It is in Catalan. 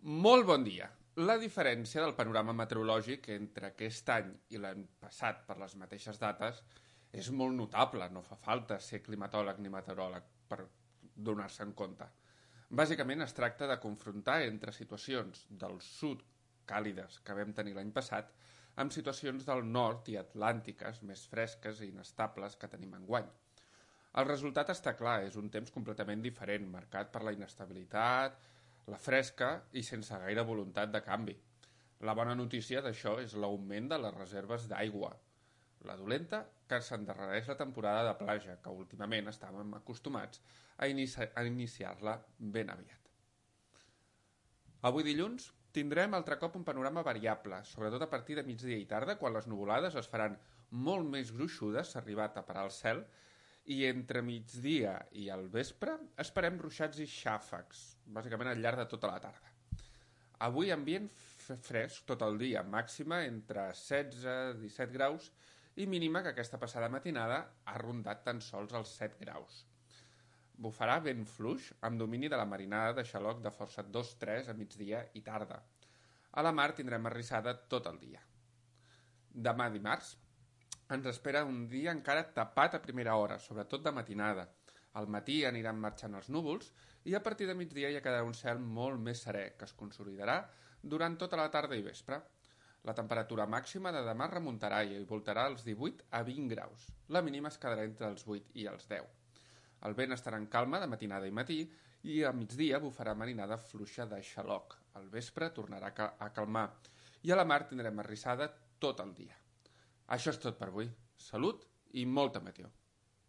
Molt bon dia. La diferència del panorama meteorològic entre aquest any i l'any passat per les mateixes dates és molt notable, no fa falta ser climatòleg ni meteoròleg per donar-se en compte. Bàsicament es tracta de confrontar entre situacions del sud càlides que vam tenir l'any passat amb situacions del nord i atlàntiques més fresques i inestables que tenim enguany. El resultat està clar, és un temps completament diferent, marcat per la inestabilitat, la fresca i sense gaire voluntat de canvi. La bona notícia d'això és l'augment de les reserves d'aigua. La dolenta, que s'endarrereix la temporada de plaja, que últimament estàvem acostumats a iniciar-la ben aviat. Avui dilluns tindrem altre cop un panorama variable, sobretot a partir de migdia i tarda, quan les nuvolades es faran molt més gruixudes, s'ha arribat a parar el cel, i entre migdia i al vespre esperem ruixats i xàfecs, bàsicament al llarg de tota la tarda. Avui ambient fresc tot el dia, màxima entre 16 i 17 graus i mínima que aquesta passada matinada ha rondat tan sols els 7 graus. Bufarà vent fluix amb domini de la marinada de xaloc de força 2-3 a migdia i tarda. A la mar tindrem arrissada tot el dia. Demà dimarts ens espera un dia encara tapat a primera hora, sobretot de matinada. Al matí aniran marxant els núvols i a partir de migdia ja quedarà un cel molt més serè, que es consolidarà durant tota la tarda i vespre. La temperatura màxima de demà remuntarà i voltarà als 18 a 20 graus. La mínima es quedarà entre els 8 i els 10. El vent estarà en calma de matinada i matí i a migdia bufarà marinada fluixa de xaloc. Al vespre tornarà a calmar i a la mar tindrem arrissada tot el dia. Això és tot per avui. Salut i molta meteo.